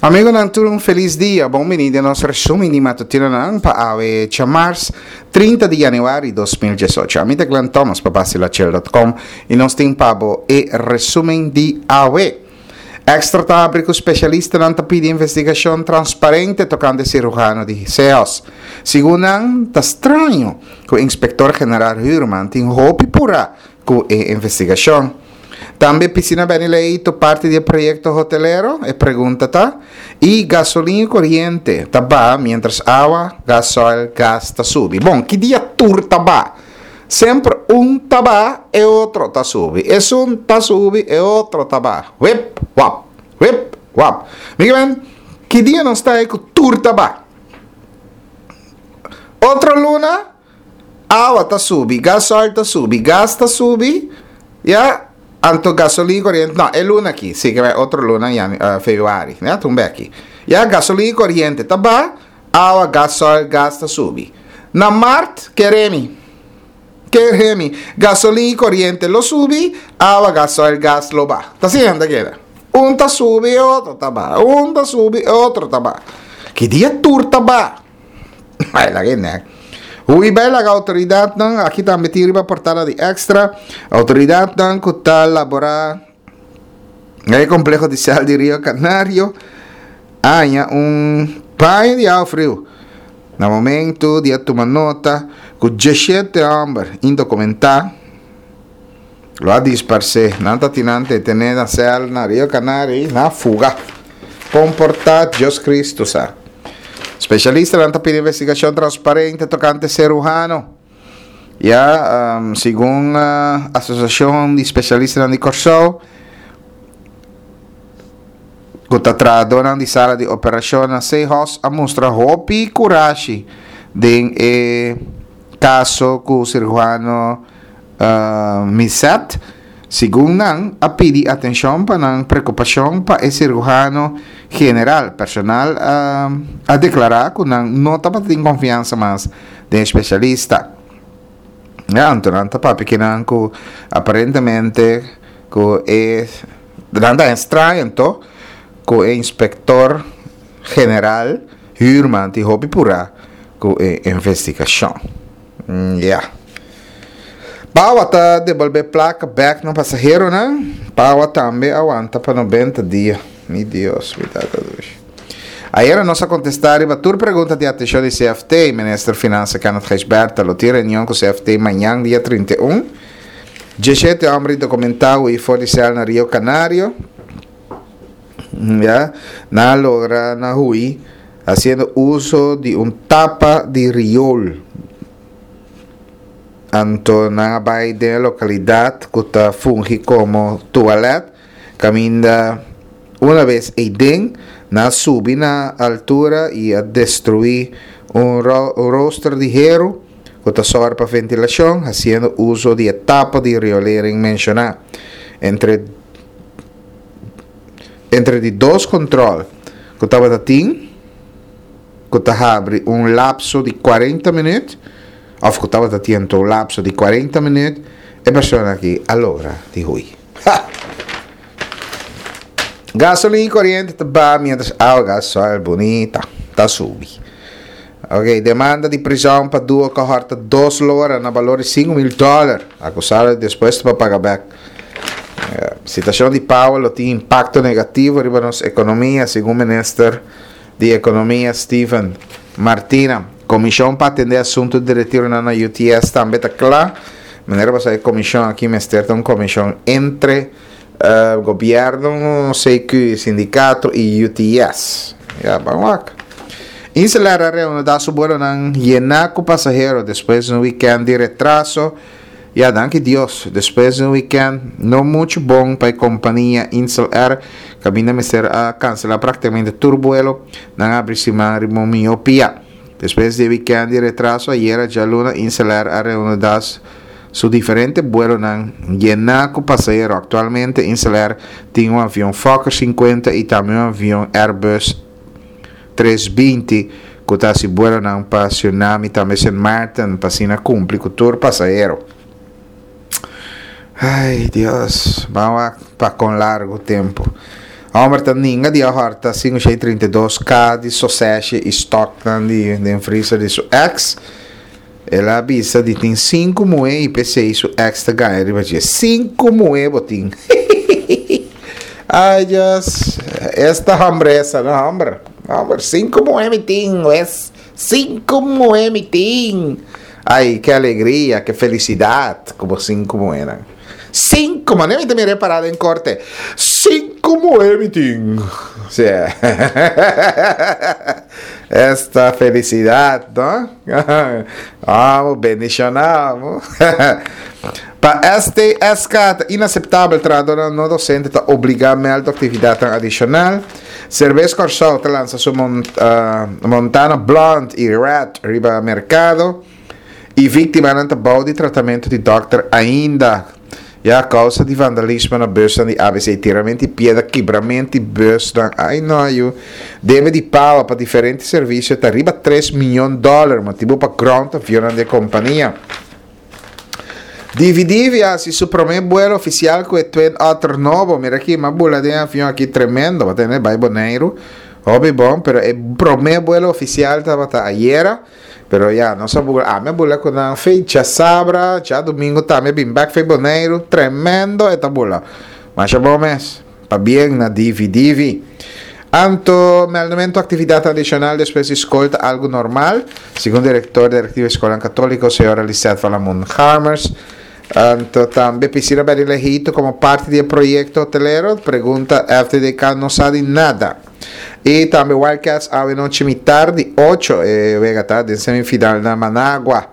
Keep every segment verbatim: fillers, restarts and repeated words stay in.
Amigonan tur un felis dia, bon bini den nos resumen di matutinonan pa awe djamars trinta di januari dos mil diesocho. Ami ta Glenn Thomas pa Basilachel dot com y nos tin pa bo e resumen di awe. Extra ta habri cu specialistanan ta pidi investigacion transparente tocante cirujano di Sehos. Segun nan, ta straño cu Inspector General Huurman tin hopi pura cu e investigacion. Tambe piscina Benny Leito parti di e proyecto hotelero? E pregunta ta. Y gasolin y coriente ta baha mientras awa, gasoil, gas ta subi. Bon, ki dia tur ta baha? Semper un ta baha, e otro ta subi. Esun ta subi, e otro ta baha. Wip, wap, wip, wap. Mi ke men, ki dia nos ta e ku tur ta baha? Otro luna, awa ta subi, gasoil ta subi, gas ta subi, ya, anto gasolin coriente, no, e luna aki, si ke bai otro luna, yan, uh, februari, ya, tumbe aki. Ya, gasolin coriente ta ba, awa, gasoil, gas ta subi. Na mart, keremi, keremi, gasolin coriente lo subi, awa, gasoil, gas lo ba. Ta asina ta keda. Un ta subi, otro ta ba. Un ta subi, otro ta ba. Ki dia tur ta ba? Ai, laga e nek. Hui bai laga autoridadnan, aki tambe tin riba portada di Extra, autoridadnan ku ta labora na e kompleho di sel di Rio Canario, haña un baño di awa friu na momento di a tuma nota ku diesshete hòmber indokumentá lo a disparsé. Nan ta tin nan detené na sel na Rio Canario i nan a fuga. Komportá Dios Cristo sa. Spesialistanan ta pidi investigashon transparente tokante serujano. Ya, um, segun uh, Asosiashon di Spesialistanan di Kòrsou, ku ta trahadónan di sala di operashon na Sehos a mustra hopi kurashi den e kaso ku siruhano uh, Miset. Segun nan a pidi atenshon pa nan preokupashon pa e siruhano general. Personal uh, a deklará ku nan no tabatin konfiansa mas den e spesialista. Ja, anto nan ta papia kinan ku aparentemente ku e nan ta extraño anto ku e inspektor general Huurman tin hopi purá ku e investigashon. Mm, ja. Pawa ta debolbé plaka bèk na pasaheronan. Pawa tambe a wanta pa nobenta dia. Mi Dios, mi tata dushi. Ayera nos a kontestá riba tur pregunta di atenshon di C F T. Minister Finansa Kenneth Gijsbertha lo tin reunion ku C F T mañan dia trinta i un. Dieshete hòmber indokumentá hui for di sèl na Rio Canario. Ya, nan a logra na hui hasiendo uso di un tapa di riol. Anto nan a bai den e lokalidat ku ta fungi komo tualèt, kaminda una bes eiden nan a subi na altura i a destruí un rooster di heru ku ta sòru pa ventilashon, hasiendo uso di e tapa di riolering menshoná. Entre entre di dos kòntròl ku tabata tin, ku ta habri un lapso di kuarenta minüt, òf ku tabata tin anto un lapso di kuarenta minüt, e persona aki a logra di hui. Ha! Gasolin i koriente ta baha miéntras awa, gasoil bunita ta subi. Ok, demanda di prizòn pa duo ku a hòrta dos lora na balor di sinku mil dòler. Akusado dispuesto pa paga bèk. Situashon di Powell lo tin impakto negativo riba nos ekonomia, segun minister di Ekonomia Steven Martina. Komishon pa atendé asuntu di retironan na U T S tambe ta kla. Manera bo sa e komishon aki mester ta un komishon entre gobièrnu, C Q, sindikato i U T S. Ya, ban wak. Insel Air a reanudá su buelonan yená ku pasahero despues di un wikènt di retraso. Ya, danki Dios, despues di un wikènt no muchu bon pa e kompania Insel Air, kaminda mester a kanselá praktikamente tur buelo, nan a abri siman riba un mihó pia. Despues di e wikènt di retraso, ayera djaluna Insel Air a reanudá su diferente buelonan yená ku pasahero. Aktualmente Insel Air tin un avion Fokker sinkuenta i tambe un avion Airbus tres binti ku ta hasi buelonan pa Surinam i tambe Sint Maarten pa asina kumpli ku tur pasahero. Ay, Dios, ban wak pa kon largu tempu. Hòmber ta ninga di a hòrta sinku shen i trinta i dos K di soseshe i stòknan di den freezer di su èks. El a bisa di tin sinku muhé i p'esei su èks ta gaña riba dje. Sinku muhé bo tin? Ai Dios, esta hòmbresa no hòmber. Hòmber, sinku muhé mi tin, wes. Sinku muhé mi tin! Ai, ke alegria, ke felisidat ku bo sinku muhénan. Sinku, manera mi ta mira e parada den korte. Sinku muhé mi tin. Sí. Esta felisidat, no? Amo, bendishoná amo. Pa S T S K ta inaseptabel trahadónan no dosente ta obligá mèldu aktividatnan adishonal. Serbes Kòrsou ta lansa su Montana Blond i Red riba merkado. I víktimanan ta bou di tratamentu di dòkter ainda. Ya kousa di vandalismo na busnan di A B C, tiramento di piedra, kibramento di busnan. Ai no yu. Debe di pawa pa diferente servisio ta riba tres miyon dòler, motibu pa ground avionnan di e kompania. Divi Divi a hasi su promé buelo ofisial ku e Twin Otter nobo. Mira aki, m'a bula den e avion aki tremendo. Bo tende bai Boneiru. Hopi bon, pero e promé buelo ofisial tabata ayera. Pero ya, nos a bula, ami a bula ku nan fe djasabra, djadumingu tambe a bin bèk fe Boneiru. Tremendo e ta bula. Masha bon mes. Pabien na Divi Divi. Anto, meldamentu aktividat adishonal despues di skol ta algu normal, segun direktor di Direktiva Eskolnan Katóliko, señora Lisette van Lamoen-Garmers. Anto tambe pisina Berry Lehito komo parti di e proyekto hotelero, pregunta F T D K no sa di nada. I tambe Wildcats awe nochi mitar di ocho e wega ta den semifinal na Managua.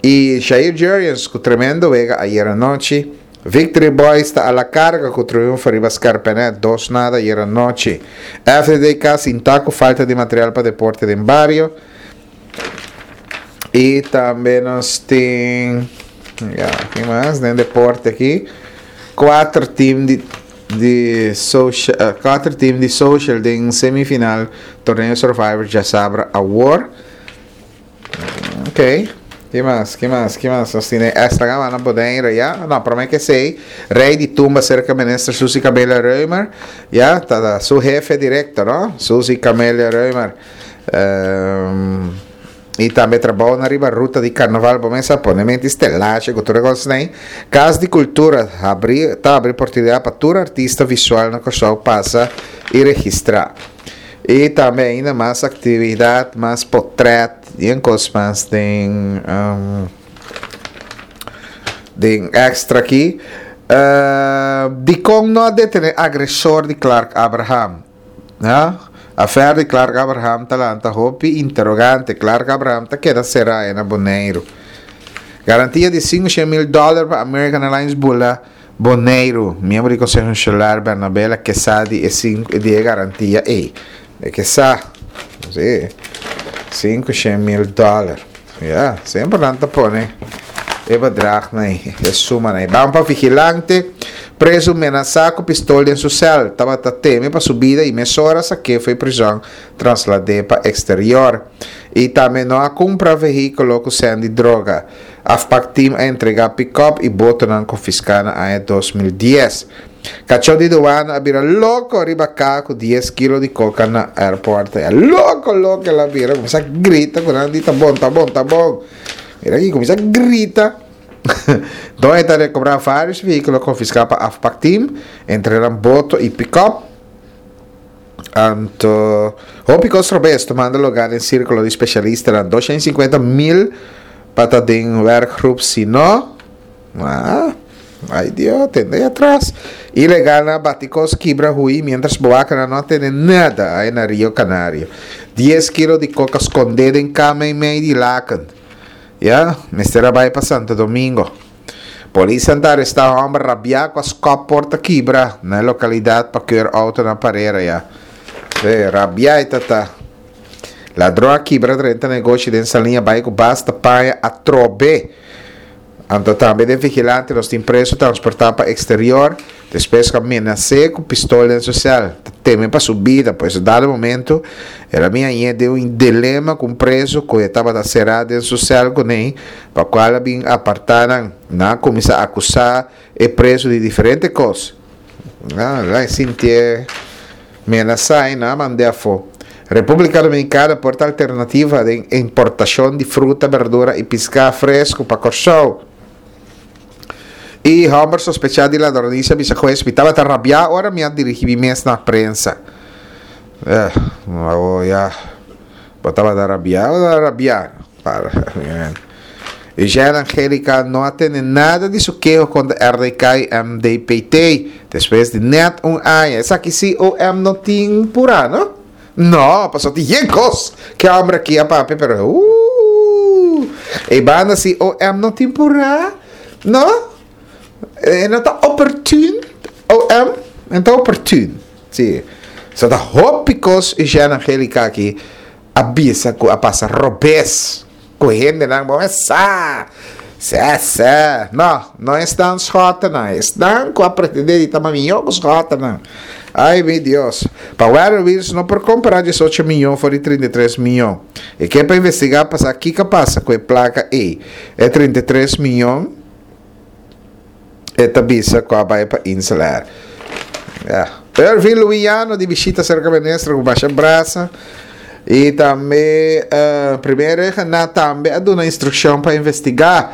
I Jair Jurrjens ku tremendo wega ayera nochi. Victory Boys ta a la carga cu triunfo riba Scarpenet dos nada ayer anochi. F D D K sinta cu falta di material pa deporte den bario. Y tambe nos tin, ya, ki mas den deporte aki? Cuatro team di, di social, eh, cuatro team di social den semifinal torneo Survivor djasabra awor. Ok. Ki mas? Ki mas? Ki mas? Nos tiene extra gama na Bonaire, ya? No, prome que sei. Rey di tumba cerca minister Suzy Camelia Römer. Ya, ta, ta su jefe directo, no? Suzy Camelia Römer. Um, y tambe trabou na riba ruta di carnaval, bo mesa pone mente stelache cu tur e cosnan ei. Cas di Cultura abri, ta abri oportunidad pa tur artista visual na Curaçao pasa y registra. Y tambe ainda mas actividad, mas potret y en cos mas den, um, den extra aquí. Uh, di con no a detene agresor di Clark Abraham? Ja? Affair di Clark Abraham ta lanta hopi interrogante. Clark Abraham ta queda será en Boneiru. Garantia di cinco cien mil dólar pa American Airlines bula Boneiru. Miembro di Consejo Insular Bernabela que sa di e cinco, di e garantia ei. E que sa. Sí. Cinco cien mil dólar. Ja, sempre nan ta pone e bedrag na e, e suma na e. Ban pa vigilante, preso menasa cu pistol den su cel. Tabata teme pa su vida y mesora saque foi prison trasladé pa exterior. Y tambe no a cumpra vehículo cu sean di droga. Afpak team a entrega pick-up y botonan confisca na aña dos mil dies. Cachó di douane a bira loco riba ca cu dies kilo di coca na airport. Ya, loco, loco la bira. Comienza a grita cu nan di ta bon, ta bon, ta bon. Mira aquí, comienza a grita. Donde ta recobrar varios vehículos confiscados pa Afpak team, entre nan boto y pick-up. Anto, hopi cos robes tomando lugar en círculo de especialistas, dan doscientos cincuenta mil pa ta den werkgroep, si no, ah, ay Dios, tende ahí atrás. Ilegal na baticos quibra hui, mientras boaca na no tiene nada ahí na Rio Canario. Diez kilos de coca escondida en cama y medio de laken. Ya, mister Abay pa Santo Domingo. Policía anda arrestado a hombre rabiado con scop porta quibra na localidad pa keur auto na parera ya. Sí, rabia y tata. Ladrón a quibra drenta negocio den salinha bai cu basta paia a trobe. Anto tambe den vigilante los tin preso transportado pa exterior. Después que amenacé con pistola en social. Teme pa su vida, pues dado momento era minha inha deu un dilema com preso que estava da cerrada em social com ele, pa qual bin apartaram na começar a acusar e preso de diferentes coisas. Ah, lá sentia Menasá i nan a mand'é afó. Repúblika Dominikana por ta alternativa den importashon di fruta, berdura i piská fresku pa Kòrsou. I hòmber sospechá di ladronisia bisa hues, Mi tabata rabiá ora mi a dirigí mi mes na prensa. Eh, awor ya. Bo tabata rabiá o ta rabiá? Para. Eugène Angelica no a tende nada di su keho kontra R D K i M D P T despues di nèt un aña. Esaki si O M no tin purá, no? No, pasobra tin yen kos ku e hòmber aki a papia, pero uh, e banda si O M no tin purá, no? E no ta oportuno, O M, no ta oportuno. Si. So ta hopi kos Eugène Angelica aki a bisa ku a pasa robes ku hendenan bon sa. Sè, sè. No, no esnan Schottenan. Esnan ku a pretendé di ta mihó ku Schottenan. Ai, mi Dios. Pa Werewills no por kompará diesocho mion for di trinta i tres mion. I ke pa investigá pasa kiko a pasa ku e plaka ei. E trinta i tres mion e ta bisa ku a bai pa InselAir. Ja. Irving Luiano di bishita serka minister ku masha brasa. I tambe uh, primero na tambe a duna instrukshon pa investigá.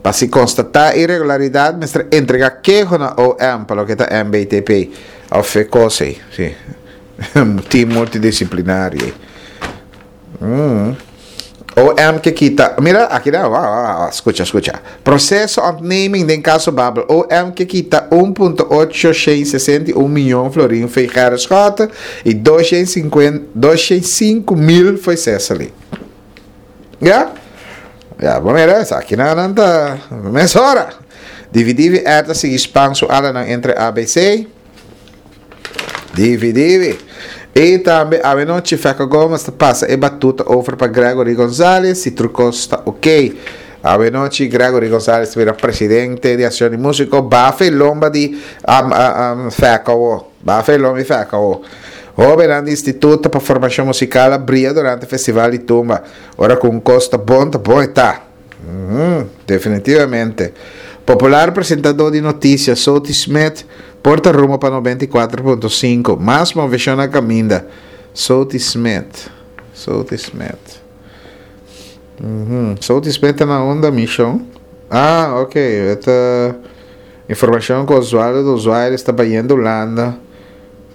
Pa si konstatá iregularidat, mester entregá keho na O M pa loke ta M B T P. Òf kos, si. Team multidisiplinario. Mm. O M ke kita. Mira, aki no, ah, ah, skucha, skucha. Proseso ontneming den kaso Babel. O M ke kita un punto ocho seis un mion florin fo'i Gerrit Schotte i dosshen sinkuenta, dosshen sinku mil fo'i Cecily. Ja? Ja, bon, mira, aki no no ta mesora. Divi Air ta sigui span su alanan entre A B C. Divi Divi. I tambe anochi Feco Gomez ta pasa e batuta over pa Gregory González, si tur kos ta ok. Anochi Gregory González bira presidente di Asosiashon di Músiko, bafe lomba di um, um, Feco, bafe lomba di Feco. Hóbennan di Instituto pa Formashon Musikal bria durante Festival di Tumba. Ora ku kos ta bon, ta bon ta. Uhum, definitivamente. Popular presentadó di notisia, Soti Smith, por ta rumbo pa nobenta i kuater punto sinku. Mas moveshon na kaminda. Soti Smith. Soti Smith. Uhum. Soti Smith na unda mishon. Ah, ok. Esta informashon ku Oswaldo do Usuário ta bayendo Hulanda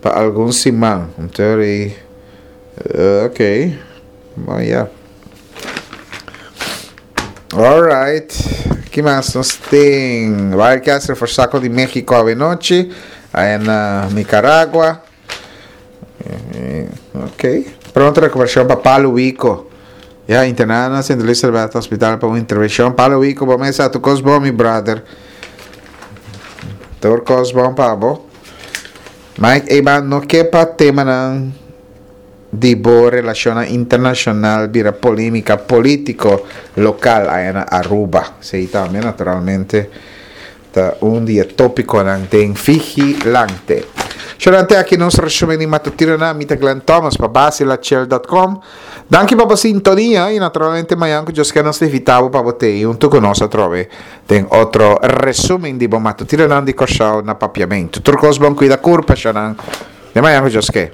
pa algun siman. Anto, uh, ok. Bon, yeah. Alright. Ki mas nos tin? Wildcats reforsá di México anochi. Ei na Nicaragua. Eh, ok. Pronto rekuperashon pa Paulo Wico. Ja, interná na Saint Elizabeth Hospital pa un intervenshon. Paulo Wico, bon mesa, tur kos bon, mi brother. Tur kos bon pa bo. Mike Eman no ke pa temanan di bo relashon internashonal bira polémika polítiko lokal ei na Aruba. Si, tambe naturalmente ta un di e tópikonan den Vigilante. Durante aki nos resumen di matutino na mi ta Glenn Thomas pa basilachel punto com. Danki pa sintonia i naturalmente mañan ku Dios ke nos ta invitá pa bo huntu ku nos atrobe den otro resumen di bo matutinonan di Kòrsou na Papiamentu. Tur kos bon, kuida kurpa, shonan. Te mañan ku Dios ke.